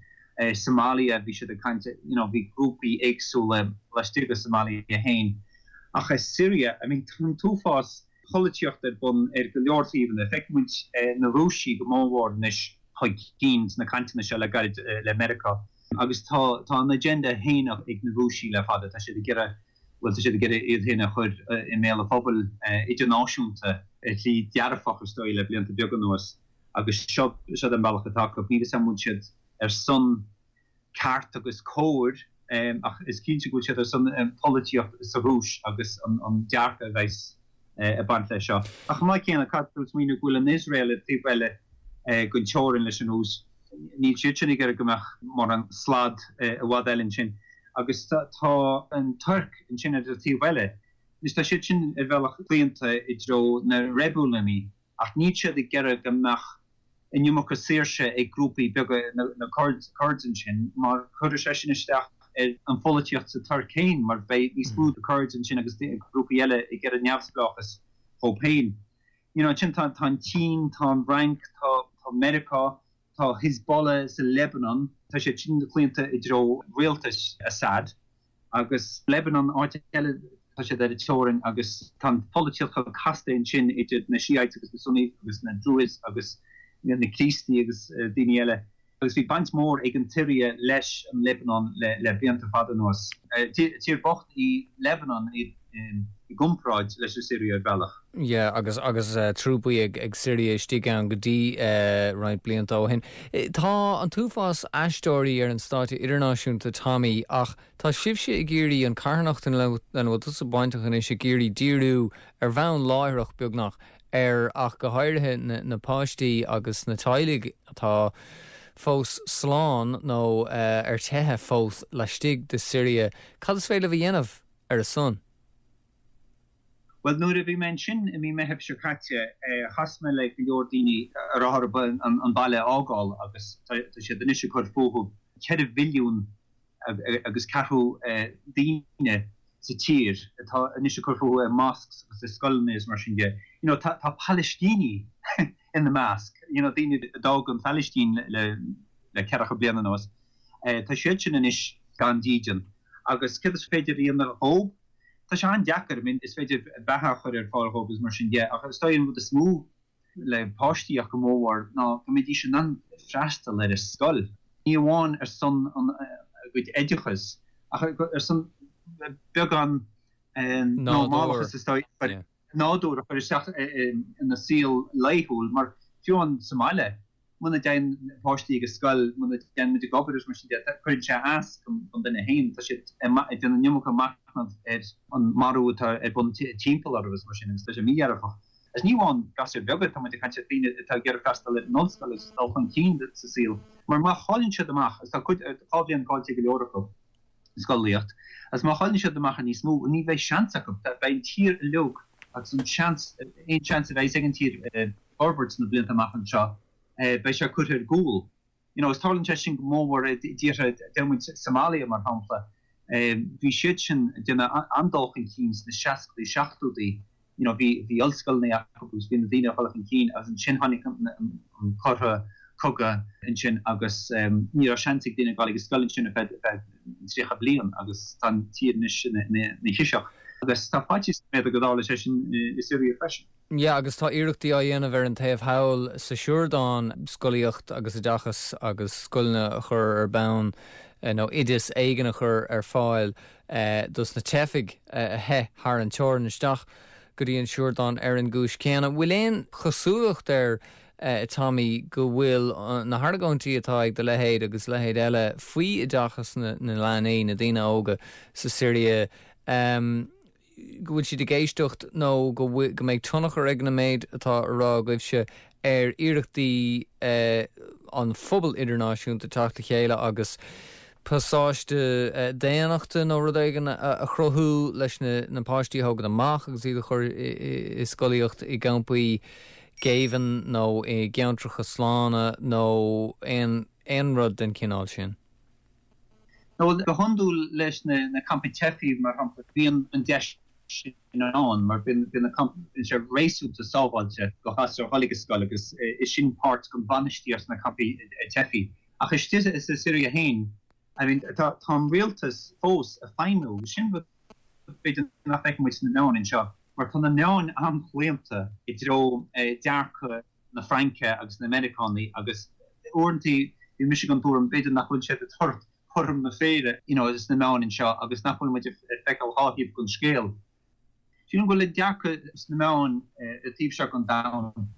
Somalia bhí siad ag caint you know bhí grúpaí éagsúla laistigh de Somalia féin. Ach i Syria I mean tá an t-uafás polaitíocht ar bun ar go leor taobhanna. Feiceann muid na Rúisigh go mórmhór anois chun cinn sna cainteanna seo le gairid le Meiriceá agus tá tá a n-agenda féin ag na Rúisigh le fada. Tá siad ag iarraidh, bhuel tá siad ag iarraidh iad féin a chur i mbéal an phobail idirnáisiúnta ar shlí dearfach is dóigh le blianta beaga anuas agus seo seo an bealach atá acu. Níl a fhios agam an bhfuil siad ar son ceart agus cóir ach is cinnte go bhfuil siad ar son polaitíocht sa Rúis agus an dearcadh a bheas ag baint leis seo. Ach chomh maith céanna, caithfidh tú smaoineamh go bhfuil an Iosrael ar taobh eile den teorainn leis an Rúis. Níl siad sin ag iarraidh go mbeadh mórán slad i bhfad eile ansin. Agus tá an Tuirc ansin ar an taobh eile. Anois tá siad sin ar bhealach claonta i dtreo na reibiliúnaí ach níl siad ag iarraidh go mbeadh an iomarca saoirse ag grúpaí beaga, na Kurds ansin, mar cuirfidh sé sin isteach ar an pholaitíocht sa Tuirc féin mar beidh níos mó Kurds ansin agus grúpaí eile ag iarraidh neamhspleáchas dhóibh féin. You know, ansin tá an tSín, tá an Fhrainc, tá Meiriceá, tá Hezbollah sa Lebanon, tá siad sin claonta i dtreo rialtas Assad. Agus Lebanon, áit eile, tá siad ar an teorainn agus tá an pholaitíocht chomh casta ansin idir na Shiites agus na Sunnis agus na Druze agus na Críostaí agus daoine eile. Agus bhí baint mhór ag an tSiria leis an Lebanon le blianta fada anuas. Tír bocht í Lebanon i gcomparáid leis an Siria ar bhealach. Yeah, agus agus trúpaí ag ag Siria istigh ann go dtí roinnt blianta ó shin. Tá an t-uafás aisteoirí ar an stáitse idirnáisiúnta, Tommy, ach tá sibhse ag iarraidh, an carthanacht lena bhfuil tusa bainteach anois, ag iarraidh díriú ar bhonn láithreach beagnach ar ach go háirithe na na páistí agus na teaghlaigh atá fós slán nó ar teitheadh fós laistigh de Siria. Cad is féidir libh a dhéanamh ar a son? Bhuel, nuair a bhí mé ansin i mí Meithimh seo caite, chas mé le go leor daoine a raibh orthu an baile a fhágáil agus tá siad anois ag cur fúthu. 4 mhilliún agus ceathrú daoine sa tír atá anois ag cur fúthu i mosques agus i scoileanna is mar sin de. You know, tá Palaistínigh ina measc, you know, daoine a d'fhág an Phalaistín le ceathracha bliain anuas. Tá siad sin anois gan dídean agus céard is féidir a dhéanamh dhóibh? Tá sé an-deacair, I mean is féidir beatha a chur ar fáil dhóibh agus mar sin de, ach is dóigh an rud is mó le páistí ach go mórmhór ná go mbeidís in ann freastal ar an scoil, ní amháin ar son a gcuid oideachais ach ar son beagán normálachas is dóigh, nádúr a chur isteach ina saol laethúil mar fiú amháin sa mbaile. Muna dtéann páistí ag an scoil, muna dtéann muid ag obair agus mar sin de, cuireann sé as don duine féin. Tá siad ag déanamh an iomarca machnamh ar an marú atá ar bun timpeall orthu agus mar sin agus tá sé mídhearfach. Agus ní amháin gasúir bheaga, tá muid ag caint ar daoine atá ag iarraidh freastal ar an ollscoil agus dul chun cinn sa saol. Mar má chailleann siad amach, agus tá cuid, tá bhliain caillte ag go leor acu, scolaíocht, agus má chailleann siad amach ar níos mó, ní bheidh seans acu. Beidh an tír uilig agus an seans, aon seans a bheidh ag an tír, forbairt sna blianta amach anseo, beidh sé curtha ar gcúl. You know, is tarlaíonn sé sin go mór i dtíortha, deir muid Somalia mar shampla, bhí siad sin ag déanamh an-dul chun cinn sna seascadaí, seachtóidí, you know, bhí, bhí ollscoileanna acu agus bhí na daoine ag dul chun cinn agus ansin tháinig an cortha, cogadh ansin agus ní raibh seans ag daoine dul ag an scoil ansin ar feadh, feadh 30 bliain agus tá an tír anois ina, ina chiseach. Agus tá faitíos b'fhéidir go dtarlóidh sé sin i Syria freisin. Yeah, agus tá iarrachtaí á dhéanamh ar an taobh thall sa Siordáin scolaíocht agus oideachas agus scoileanna a chur ar bun nó oideas éigin a chur ar fáil dos na teifigh a theith thar an teorainn isteach go dtí an Siordáin ar an gcúis chéanna. Bhfuil aon chosúlacht air, Tommy, go bhfuil na hargóintí atá ag do leithéid agus leithéid eile faoi oideachas na leanaí, na daoine óga sa Siria, go bhfuil siad ag éisteacht nó go go mbeidh tionchar ag an méid atá á rá agaibhse ar iarrachtaí an phobail idirnáisiúnta teacht le chéile agus pasáiste daonnachta nó rud éigin a chruthú leis na páistí a thógaint amach agus iad a chur i scolaíocht i gcampaí géibhinn nó i gceantracha slána nó aon rud den chineál sin. Bhuel, go hiondúil leis na campaí teifigh, mar shampla, bíonn an deis sin ann mar bíonn na campaí, bíonn sé réasúnta sábháilte do ghasúir a dhul ag an scoil agus is sin páirt den bhainistíocht sna campaí teifigh. Ach istigh sa Siria féin, I mean, tá an rialtas fós ag feidhmiú agus sin rud b'fhéidir nach bhfeiceann muid sna meáin anseo mar tá na meáin an-chlaonta i dtreo dearcadh na Fraince agus na Meiriceánaigh agus uaireanta bhí mise den tuairim b'fhéidir nach bhfuil siad ag tabhairt cothrom na féinne you know sna meáin anseo agus nach bhfuil muid ag feiceáil dhá thaobh den scéal. Sílim go bhfuil an dearcadh sna meáin an taobh seo den domhan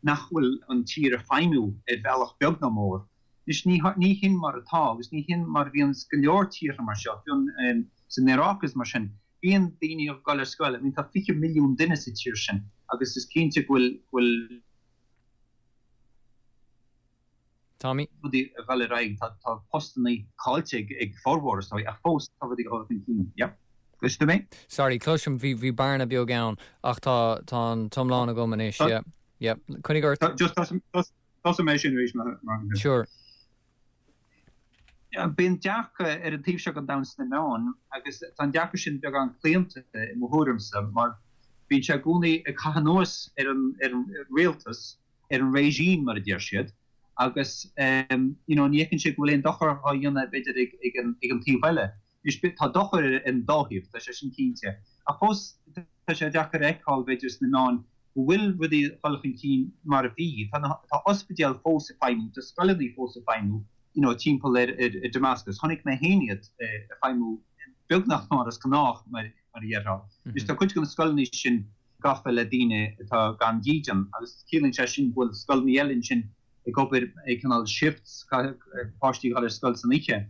nach bhfuil an tír ag feidhmiú ar bhealach beag ná mór. Anois ní ní hin mar atá agus ní hin mar a bhíonn go leor tíortha mar seo, fiú san Iaráic is mar sin. Bíonn daoine ag dul ar scoil, I mean tá 20 milliún duine sa tír sin agus is cinnte go bhfuil, go bhfuil. Tommy. rudaí ag dul ar aghaidh, tá, tá postannaí caillte ag, ag formhór is dóigh ach fós tá rudaí ag dul chun cinn. Yeah. Cloiseann tú mé? Sorry, cloisim, bhí, bhí bearna beag ann ach tá, tá an t-iomlán agam anois, yeah. Yeah. Coinnigh ort. Just tosóidh mé sin arís mar, mar. Sure. Bíonn dearcadh ar an taobh seo den domhan sna meáin agus tá an dearcadh sin beagán claonta i mo thuairimse mar bíonn sé i gcónaí ag caitheamh anuas ar an ar an rialtas, ar an regime mar a deir siad agus you know ní fheiceann siad go bhfuil aon dochar á dhéanamh b'fhéidir ag ag an ag an taobh eile. Anois tá dochar ar an dá thaobh, tá sé sin cinnte. Ach fós tá sé deacair a fheiceáil b'fhéidir sna meáin go bhfuil rudaí ag dul chun cinn mar a bhí. Tá na, tá ospidéil fós ag feidhmiú, tá scoileanna fós ag feidhmiú, you know, timpeall ar, ar, ar Damascus. Chonaic mé féin iad ag feidhmiú beagnach mar is gnách, mar, mar a dhéarfá. Anois tá cuid de na scoileanna sin gafa le daoine atá gan dídean agus ciallaíonn sé sin go bhfuil scoileanna eile ansin ag obair ag cineál shifts, caithfidh páistí a dhul ar scoil san oíche.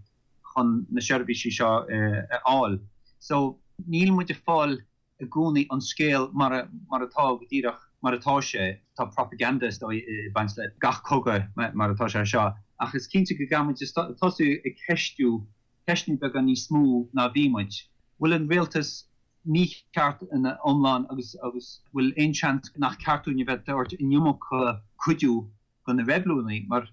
chun na seirbhísí seo a fháil. So níl muid ag fáil i gcónaí an scéal mar mar atá go díreach mar atá sé. Tá propaganda is dóigh ag baint le gach cogadh mar atá sé seo ach is cinnte go gcaithfidh muid tosú ag ceistiú ceisteanna beaga níos mó ná bhí muid. Bhfuil an rialtas mícheart ina iomlán agus agus bhfuil aon seans nach ceart dúinn a bheith ag tabhairt an iomarca cuidiú do na reibiliúnaigh, mar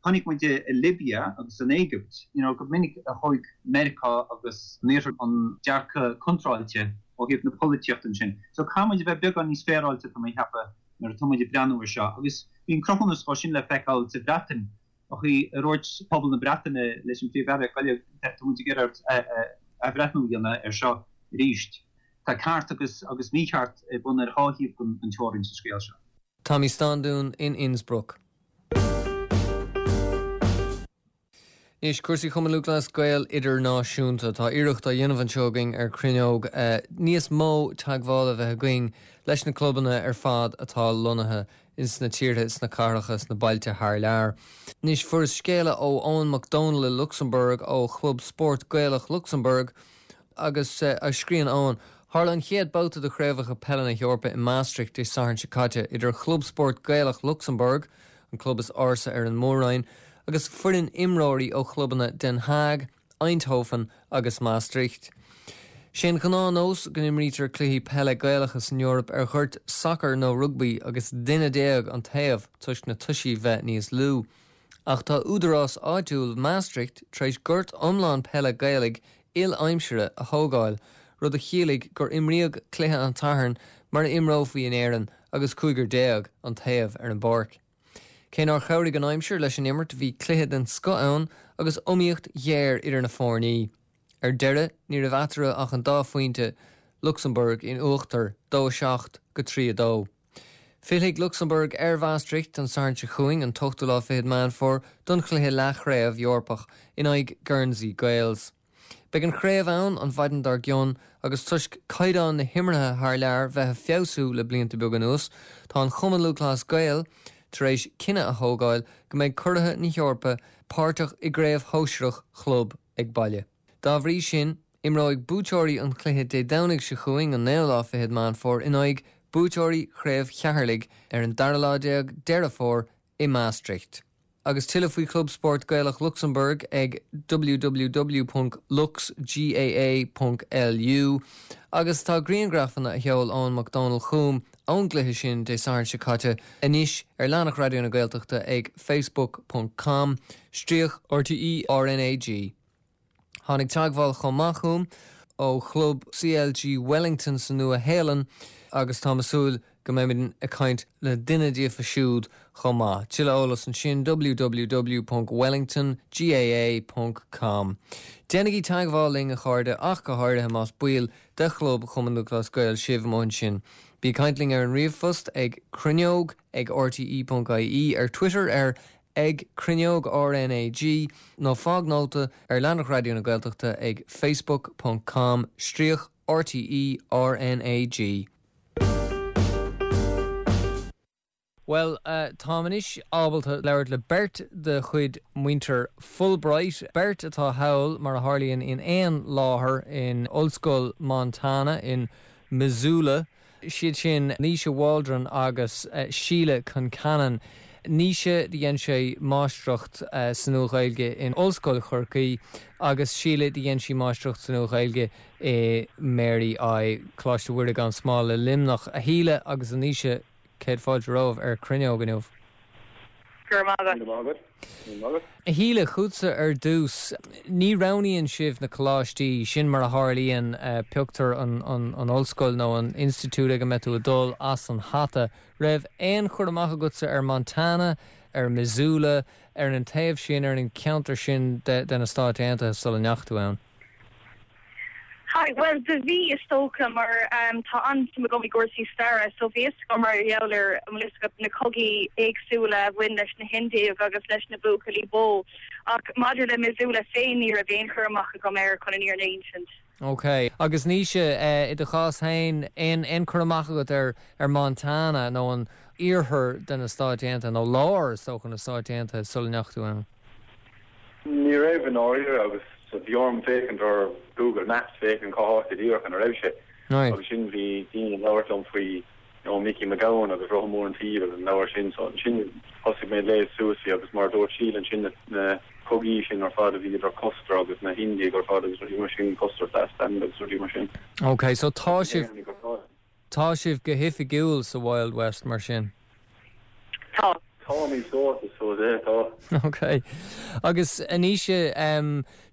chonaic muid i Libia agus san Éigipt, you know, go minic a thóg Meiriceá agus an Iarthar an dearcadh contráilte ó thaobh na polaitíochta ansin. So caithfidh muid a bheith beagán níos féaráilte, tá mé ag ceapadh, nuair atá muid ag breathnú ar seo. Agus bhí an cruthúnas dhó sin le feiceáil sa Bhreatain, an chaoi a ndúirt pobal na Breataine leis an Phríomh-Aire, gabh i leith, tá muid ag iarraidh athbhreithniú a dhéanamh ar seo arís. Tá ceart agus agus mícheart ar bun ar dhá thaobh den teorainn sa scéal seo. Tommy Standún in Innsbruck. Anois, cúrsaí Chumann Lúthchleas Gael Idirnáisiúnta. Tá iarracht á dhéanamh anseo againn ar Cruinneog níos mó teagmhála a bheith againn leis na clubanna ar fad atá lonnaithe ins na tíortha, sna cathracha, sna bailte thar lear. Anois, fuaireas scéala ó Eoin Mac Dónaill i Lucsamburg, ó Chlub Spóirt Gaelach Lucsamburg, agus scríobhann Eoin, Tharla an chéad babhta de Chraobhacha Peile na hEorpa i Maastricht Dé Sathairn seo caite, idir Chlub Spóirt Gaelach Lucsamburg, an club is ársa ar an mór-roinn, agus foireann imreoirí ó chlubanna Den Haag, Eindhoven agus Maastricht. Sé an ghnáthnós go n-imrítear cluichí peile Gaelacha san Eoraip ar ghoirt sacair nó rugbaí agus duine déag an taobh toisc na toisí bheith níos lú. Ach tá údarás áitiúil Maastricht tar éis gort iomlán peile Gaelaigh il-aimsire a thógáil, rud a chiallaigh gur imríodh cluiche an tSathairn mar a imreofaí in Éirinn agus cúigear déag an taobh ar an bpáirc. Cé nár chabhraigh an aimsir leis an imirt bhí cluiche den scoth ann agus iomaíocht ghéar idir na foirní. Ar deireadh ní raibh eatarthu ach an dá phointe, Lucsamburg in uachtar, 2 7 go 3 2. Fillfidh Lucsamburg ar Mhaastricht an Satharn seo chugainn, an t-ochtú lá fichead Meán Fómhair, don chluiche leathchraobh Eorpach in aghaidh Guernsey Gaels. Beidh an chraobh ann an mhaidin dár gcionn agus toisc caighdeán na himeartha thar lear bheith ag feabhsú le blianta beaga anuas, tá an Chumann Lúthchleas Gael tar éis cinneadh a thógáil go mbeidh curaithe na hEorpa páirteach i gcraobh shóisearach chlub ag baile. Dá bhrí sin, imreoidh buaiteoirí an chluiche Dé Domhnaigh seo chugainn, an naoú lá fichead Meán Fómhair, in aghaidh buaiteoirí chraobh Cheatharlaigh ar an dara lá déag Deireadh Fómhair i Maastricht. Agus tuilleadh faoi Chlub Spóirt Gaelach Lucsamburg ag www.luxgaa.lu Agus tá grianghrafanna a sheol Eoin Mac Dónaill chugam ón gcluiche sin Dé Sathairn seo caite anois ar leathanach Raidió na Gaeltachta ag facebook ponc com stríoc RTÉ RnaG. Tháinig teagmháil chomh maith chugam ó chlub CLG Wellington sa Nua Shéalainn agus táim ag súil go mbeimid ag caint le duine díofa siúd chomh maith. Tuilleadh eolas ansin www.wellingtongaa.com. Déanaigí teagmháil linn a chairde ach go háirithe más baill de chlub Chumann Lúthchleas Gael sibh amuigh ansin. Bí ag caint linn ar an ríomhphost ag cruinneog ag rte.ie, ar Twitter ar ag Cruinneog RnaG nó fág nóta ar leathanach Raidió na Gaeltachta ag facebook ponc com stríoc RTÉ RnaG. Bhuel, táim anois ábalta labhairt le beirt de chuid muintir Fulbright, beirt atá thall, mar a tharlaíonn, in aon láthair in Ollscoil Montana in Missoula. Siad sin Naoise Waldron agus Síle Concannon. Naoise, do dhein sé máistreacht sa Nua-Ghaeilge in Ollscoil Chorcaí agus Síle, do dhein sí máistreacht sa Nua-Ghaeilge i Mary I, Coláiste Mhuire gan Smál i Luimneach. A Shíle agus a Naoise, céad fáilte romhaibh ar Cruinneog inniu. Go raibh maith agat. Go raibh maith agat. A Shíle, chugatsa ar dtús. Ní roghnaíonn sibh na coláistí, sin mar a tharlaíonn, pioctar an ollscoil nó an institiúid ag a mbeidh tú ag dul as an hata. Raibh aon chur amach agatsa ar Montana, ar Missoula, ar an taobh sin, ar an cheantar sin de na Stáit Aontaithe sula ndeachaigh tú ann? Hi, bhuel do bhí is dócha mar tá an-suim agam i gcúrsaí staire so bhí fhios agam mar gheall ar an bhfuil fhios agat na cogaí éagsúla a bhain leis na hIndiaigh agus leis na buachaillí bó ach maidir le Missoula féin ní raibh aon chur amach agam air chun an fhírinne a insint. Ok. Agus Naoise, i do chás féin, aon aon cur amach agat ar ar Montana nó an iarthar de na Stáit Aontaithe nó lár is dócha na Stáit Aontaithe sula ndeachaigh tú ann? Ní raibh i ndáiríre agus bhí orm féachaint ar Google Maps féachaint cá háit go díreach ina raibh sé. Agus ansin bhí daoine ag labhairt liom faoi you know Micí Mac Gabhann agus Rotha Mór an tSaoil agus an leabhar sin so ansin thosaigh mé ag léamh suas faoi agus mar a dúirt Síle ansin na na cogaí sin ar fad a bhí idir Custer agus na hIndiaigh ar fad agus rudaí mar sin, Custer's Last Stand agus rudaí mar sin. Ok so tá sibh Tá sibh go hoifigiúil sa Wild West mar sin? Tá. Táimid sórt, is dóigh, yeah, tá. Ok. Agus a Naoise,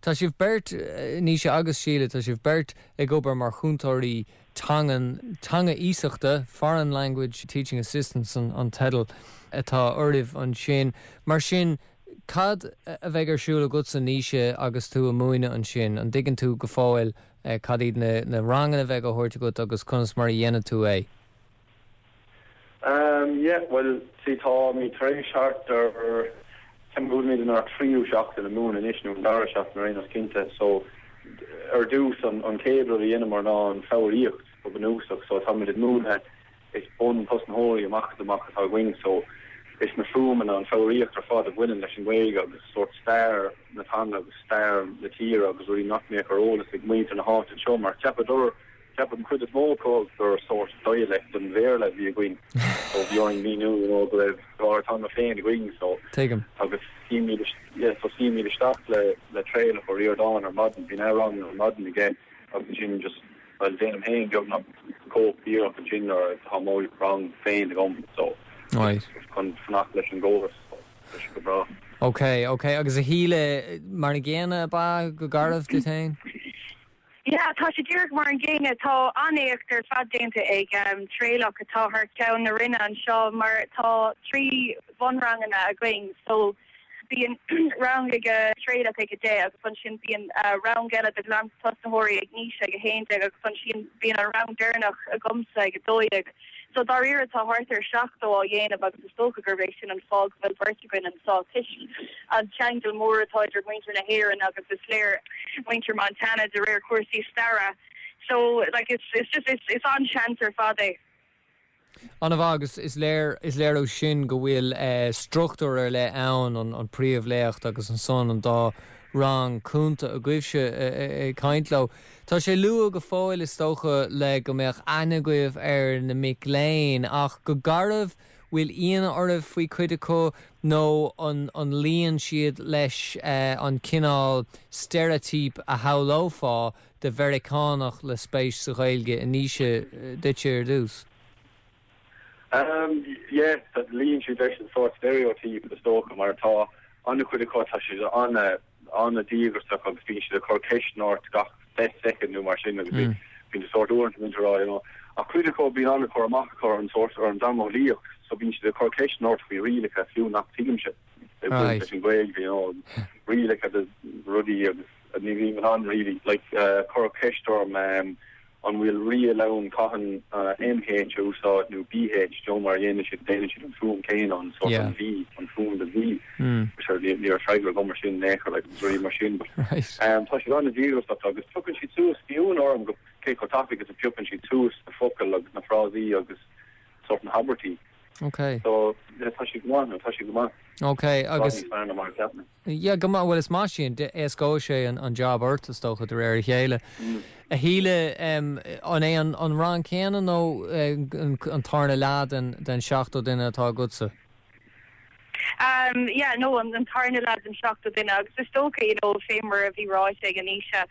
tá sibh beirt, Naoise agus Síle, tá sibh beirt ag obair mar chúntóirí teangan, teanga iasachta, Foreign Language Teaching Assistants an teideal atá oraibh ansin. Mar sin, cad a bheidh ar siúl agatsa, Naoise, agus tú ag múineadh ansin? An dtuigeann tú go fóill Cad iad na ranganna a bheidh á thabhairt agat agus conas mar a dhéanfaidh tú é? Yeah, bhuel, see, táimid tar éis thart ar, ceapaim go bhfuilimid inár tríú seachtain ag múineadh anois, nó an dara seachtain ar aon nós cinnte. So, ar dtús, an chéad rud a dheineamar ná an foghraíocht go bunúsach. So, táimid ag múineadh. Is bun-tosnaitheoirí amach is amach atá againn so is na fuaimeanna, an foghraíocht ar fad a bhaineann leis an nGaeilge agus sórt stair na teanga agus stair na tíre agus rudaí nach mbeadh ar eolas ag muintir na háite anseo mar cheapadar, cheap an chuid is mó acu gur sórt dialect den Bhéarla a bhí againn so bhí orainn míniú you know go raibh ár dteanga féin againn so Tuigim. agus suímid yeah so suímid isteach le le Traolach Ó Ríordáin ar maidin, bíonn rang ar maidin aige agus ansin just Bhuel, déanaim féin beagnach cóip díreach ansin nuair atá mo rang féin agam so Right. chun fanacht leis an gcóras so tá sé go breá. Ok, ok. Agus a Shíle, mar an gcéanna ab ea go garbh duit féin? Yeah, tá sé díreach mar an gcéanna. Tá an-éacht ar fad déanta ag Traolach atá thar ceann na Roinne anseo mar tá 3 bhunranganna againn so Bíonn rang ag Traolach ag 10 agus ansin bíonn rang eile do ghlantosnaitheoirí ag Naoise ag 11 agus ansin bíonn an rang deireanach agamsa ag 12. So dáiríre tá thart ar 70 á dhéanamh agus is dócha gurb é sin an fáth go bhfuil beirt againn anseo toisc an ceangal mór atá idir muintir na hÉireann agus is léir muintir Montana de réir cúrsaí staire. So like it's it's just it's it's an-seans ar fad é. An-mhaith agus is léir, is léir ó sin go bhfuil struchtúr ar leith ann, an príomhléacht agus ansan an dá rang cúnta agaibhse ag caint leo. Tá sé luath go fóill is dócha le go mbeadh aithne agaibh ar na mic léinn ach go garbh, bhfuil ionadh oraibh faoi cuid acu nó an an luíonn siad leis an cineál steiréitíp a shamhlófá de Mheiriceánach le spéis sa Ghaeilge, a Naoise, duitse ar dtús? Um, yeah, luíonn siad leis an sórt stereotype is dócha, mar tá an-chuid acu, tá siad an-díograiseach agus bíonn siad ag cur ceisteanna ort gach 10 soicind nó mar sin agus bíonn mm. sórt uaireanta bíonn rá, you know. Ach cuid acu bíonn an-chur amach acu ar an sórt ar an dteangeolaíocht, so bíonn siad ag cur ceisteanna ort faoi rialacha fiú nach tuigimse. Ag baint leis an Ghaeilge, you know, rialacha de rudaí agus ní bhím in ann really, like, cuireadh ceist orm an bhfuil riail ann cathain MH a úsáid nó BH, you know, mar dhéanann siad, déanann siad an fuaim céanna, an sort an V, an fuaim de V. Sure, ní raibh freagra agam ar sin in aon chor, like, agus rudaí mar sin, but tá siad an-díograiseach agus piocann siad suas, bhí ionadh orm go cé chomh tapaidh is a phiocann siad suas na focail agus na frásaí agus sort na habairtí. Ok. So, yeah, tá sé go maith, nó tá sé go maith. Ok, agus. Níos fearr ná mar a cheap mé. Yeah, go maith, bhuel is maith sin, éascóidh sé an job ort is dócha de réir a chéile. A Shíle, an é an rang céanna nó an tarna leath den 70 duine atá agatsa? Um, yeah, no, an tarna leath den 70 duine agus is dócha, you know, fé mar a bhí ráite ag Naoise,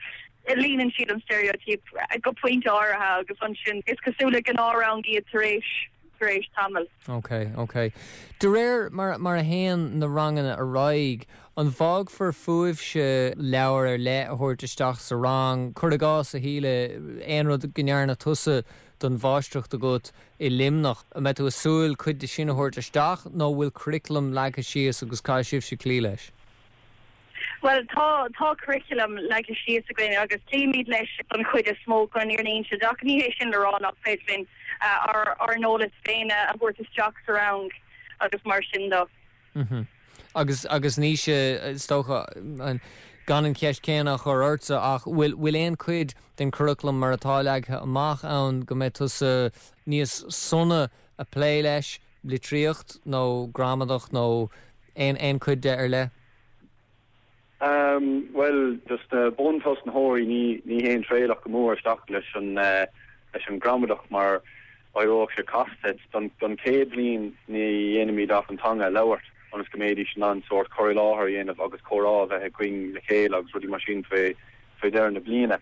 líonann siad an stereotype go pointe áirithe agus ansin is cosúil le gnáthrang iad tar éis tar éis tamaill. Ok, ok. De réir mar mar a théann na ranganna ar aghaidh, an bhfágfar fúibhse leabhar ar leith a thabhairt isteach sa rang? Cuir i gcás, a Shíle, aon rud go ndearna tusa don mháistreacht agat i Luimneach, an mbeidh tú ag súil cuid de sin a thabhairt isteach nó an bhfuil curriculum leagtha síos agus caithfidh sibhse cloí leis? Bhuel, tá, tá curriculum leagtha síos againn agus cloímid leis don chuid is mó chun an fhírinne a inse, ach ní hé sin le rá nach féidir linn ár, ár n-eolas féin a thabhairt isteach sa rang agus mar sin de. Mhm. Agus, agus Naoise, is dócha, gan an cheist chéanna a chur ortsa ach bhfuil, bhfuil aon chuid den churaclam mar atá leagtha amach ann go mbeidh tusa níos sona a plé leis, litríocht nó gramadach nó aon aon chuid de ar leith? Umm, bhuel, dos na buntosnaitheoirí ní ní théann Traolach go mór isteach leis an leis an gramadach mar éireodh sé casta. Don don chéad bhliain ní dhéanaimid ach an teanga a labhairt ionas go mbeidís in ann sórt cur i láthair a dhéanamh agus comhrá a bheith againn le chéile agus rudaí mar sin fé fé dheireadh na bliana.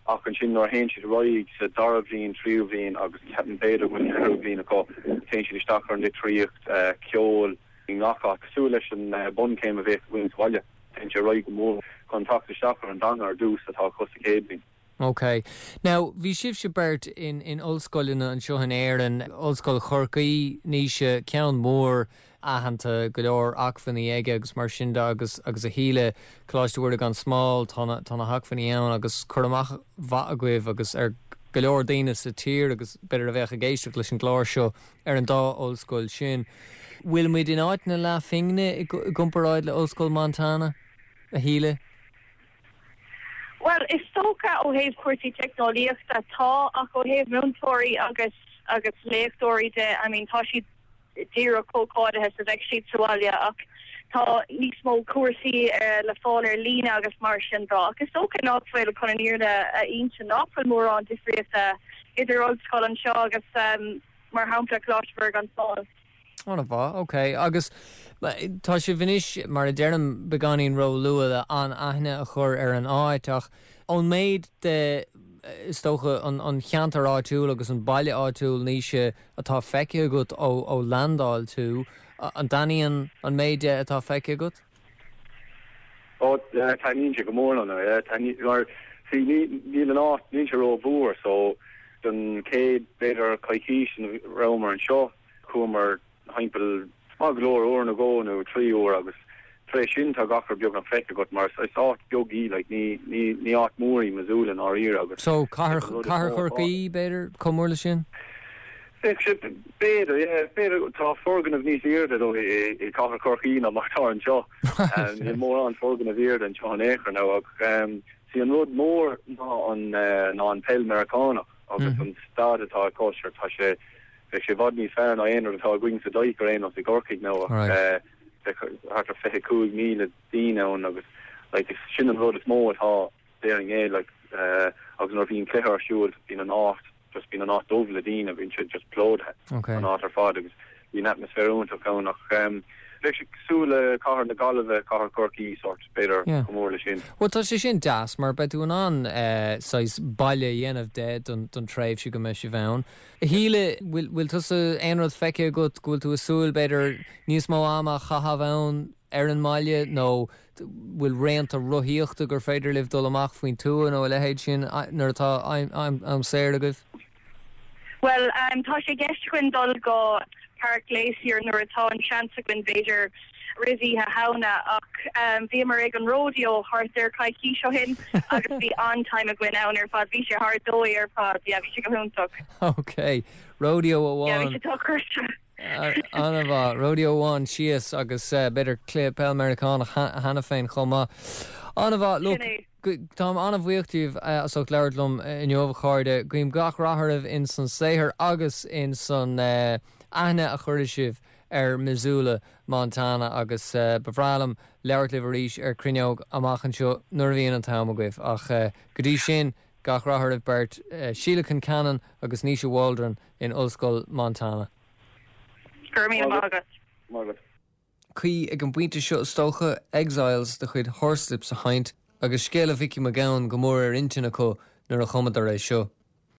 Ach ansin nuair a théann siad ar aghaidh sa dara bhliain, tríú bhliain agus ceapaim b'fhéidir go bhfuil ceathrú bliain acu, téann siad isteach ar an litríocht, ceol, i ngach áit, cosúil leis an bunchéim a bheadh againn sa bhaile. Téann sé ar aghaidh go mór chun teacht isteach ar an dteanga ar dtús atá acu sa chéad bhliain. Ok. Now, bhí sibhse beirt in in ollscoileanna anseo in Éirinn, Ollscoil Chorcaí, Naoise, ceann mór aitheanta, go leor acmhainní aige agus mar sin de agus agus a Shíle, Coláiste Mhuire gan Smál, tá na tá na hacmhainní ann agus cur amach mhaith agaibh agus ar go leor daoine sa tír agus b'fhéidir a bheadh ag éisteacht leis an gclár seo ar an dá ollscoil sin. Bhfuil muid in áit na leathphingne i gcomparáid le Ollscoil Montana, a Shíle? Bhuel, is dócha ó thaobh cúrsaí teicneolaíochta, tá, ach ó thaobh múinteoirí agus. agus léachtóirí de, I mean tá siad díreach chomh cáilithe is a bheadh siad sa bhaile ach tá níos mó cúrsaí le fáil ar líne agus mar sin de. Ach is dócha nach bhfuil, chun an fhírinne a inse, nach bhfuil mórán difríochta idir ollscoil anseo agus, mar shampla, Coláiste Mhuire gan Smál. An-mhaith, ok. Agus tá sibh anois, mar a deirim, beagáinín ró-luath le an-aithne a chur ar an áit ach ón méid de, is dócha, an cheantar áitiúil agus an baile áitiúil, Naoise, atá feicthe agat ó landáil tú, an dtaitníonn an méid de atá feicthe agat? Ó, taitníonn sé go mór liom, yeah, taitníonn, mar, see, ní, níl an áit, níl sé ró-mhór, so, don chéad, b'fhéidir, coicís ina rabhamar anseo, chuamar thimpeall maith go leor, uair nó dhó nó 3 uair agus tar éis sin tá gach rud beagnach feicthe agat mar is áit beag í, like, ní, ní, ní áit mhór í Missoula i ndáiríre agus So, cathair, is an rud is cathair mó atá. Chorcaí, b'fhéidir, chomh mór le sin? Bheadh sé, b'fhéidir, yeah, b'fhéidir, tá foirgnimh níos airde though i, i cathair Chorcaí ná mar atá anseo. Right. Níl mórán foirgnimh airde anseo in aon chor now ach see an rud mór ná an, ná an peil Meiriceánach agus an staid atá acu, sure tá sé, Bheadh sé i bhfad níos fearr ná aon rud atá againn sa Dike ar aon nós i gCorcaigh now ach bheadh thart ar 25,000 daoine ann agus like sin an rud is mó atá déarfainn é like agus nuair a bhíonn cluiche ar siúl bíonn an áit just bíonn an áit dubh le daoine bíonn sé just plódaithe an áit ar fad agus bíonn atmaisféar iontach ann ach bheadh sé cosúil le cathair na Gaillimhe, cathair Chorcaí sort b'fhéidir chomh mór leis sin. Bhuel tá sé sin deas mar beidh tú in ann saghas baile a dhéanamh de don tréimhse go mbeidh sibh ann. A Shíle, bhfuil tusa aon rud feicthe agat go bhfuil tú ag súil, b'fhéidir, níos mó ama a chaitheamh ann ar an mbaile nó bhfuil raonta rothaíochta gur féidir libh dul amach faoin tuath nó a leithéid sin nuair atá am saor agaibh? Bhuel, tá sé i gceist againn dul go Páirc Glacier nuair atá an seans againn, b'fhéidir roimh Oíche Shamhna, ach bhíomar ag an rodeo thart ar coicís ó shin agus bhí an-time againn ann ar fad. Bhí sé thar dóigh ar fad, yeah, bhí sé go hiontach. Ok, rodeo amháin. Yeah, bhí sé dochreidte. An-mhaith, rodeo amháin síos agus b'fhéidir cluiche peil Meiriceánach cheana féin chomh maith. An-mhaith, look, táim an-bhuíoch díbh as ucht labhairt liom inniu, a chairde. Guím gach rath oraibh in san saothar agus in san aithne a chuirfidh sibh ar Missoula, Montana agus ba bhreá liom labhairt libh arís ar Cruinneog amach anseo nuair a bhíonn an t-am agaibh. Ach go dtí sin, gach rath oraibh beirt, Síle Concannon agus Naoise Waldron in Ollscoil Montana. Go raibh míle maith agat. Cuí ag an bpointe seo is dócha, Exiles de chuid Horslips a sheinnt, agus scéala Mhicí Mac Gabhann go mór ar intinn acu nuair a chumadar é seo.